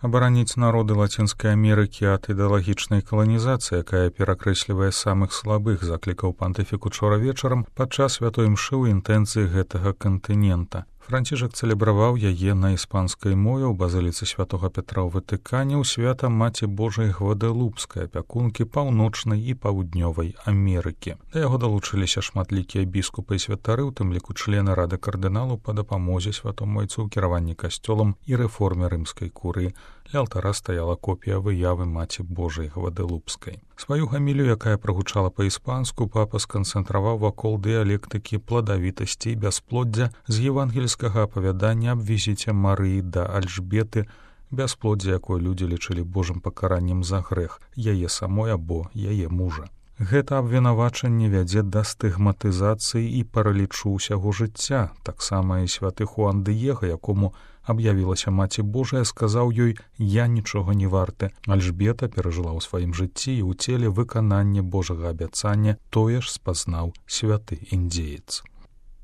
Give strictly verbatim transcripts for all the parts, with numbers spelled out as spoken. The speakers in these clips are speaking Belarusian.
Абараніць народы Лацінскай Амерыкі ад ідэалагічнай каланізацыі, якая перакрэслівае самых слабых, заклікаў пантыфік учора вечарам падчас святой імшы ў інтэнцыі гэтага кантынента. Францішак цэлебраваў яе на іспанскай мове ў базыліцы святога Петра ў Ватыкане ў свята Маці Божай Гвадэлупскай, апякункі паўночнай і паўднёвай Амерыкі. Да яго далучыліся шматлікія біскупы і святары, у тым ліку члены рады кардыналу па дапамозе святому айцу ў кіраванні касцёлам і рэформе рымскай курыі. Ля алтара стаяла копія выявы Маці Божай Гвадэлупскай. Сваю гамілію, якая прагучала па-іспанску, папа сканцэнтраваў вакол дыялектыкі пладавітасці і бясплоддзя з евангельскага апавядання аб візіце Марыі да Альжбеты, бясплоддзе якой людзі лічылі божым пакараннем за грэх, яе самой або яе мужа. Гэта абвінавачанне вядзе да стыгматызацыі і паралічу ўсяго жыцця. Таксама і святы Хуан Дыега, якому аб'явілася Маці Божая, сказаў ёй: «Я нічога не варты». Альжбета перажыла ў сваім жыцці і ў целе выкананне Божага абяцання, тое ж спазнаў святы індзеец.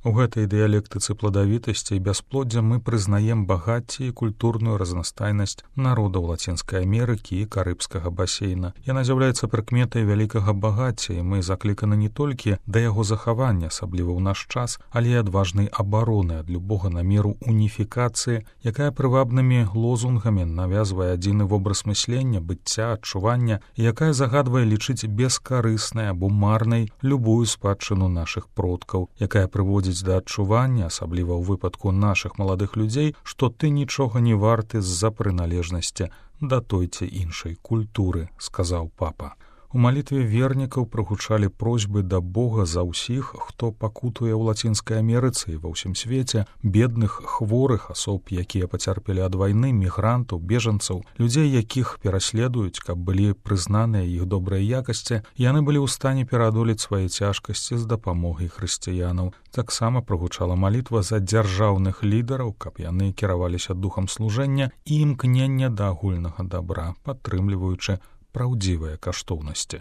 У гэтай дыялектыцы пладавітасці і бясплоддзя мы прызнаем багацце і культурную разнастайнасць народаў Лацінскай Амерыкі і Карыбскага басейна. Яна з'яўляецца прыкметай вялікага багацця, і мы закліканы не толькі да яго захавання, асабліва ў наш час, але і адважнай абароны ад любога намеру уніфікацыі, якая прывабнымі лозунгамі навязвае адзіны вобраз мыслення, быцця, адчування, і якая загадвае лічыць бескарыснай або марнай любую спадчыну нашых продкаў, якая прыводзіць да адчування, асабліва ў выпадку нашых маладых людзей, што ты нічога не варты з-за прыналежнасці да той ці іншай культуры, сказаў папа. У малітве вернікаў прагучалі просьбы да Бога за ўсіх, хто пакутуе ў Лацінскай Амерыцы і ва ўсім свеце, бедных, хворых асоб, якія пацярпелі ад вайны, мігрантаў, бежанцаў, людзей, якіх пераследуюць, каб былі прызнаныя іх добрыя якасці, яны былі ў стане пераадолець свае цяжкасці з дапамогай хрысціянаў. Таксама прагучала малітва за дзяржаўных лідараў, каб яны кіраваліся духам служэння і імкнення да агульнага дабра, падтрымліваючы праўдзівыя каштоўнасці.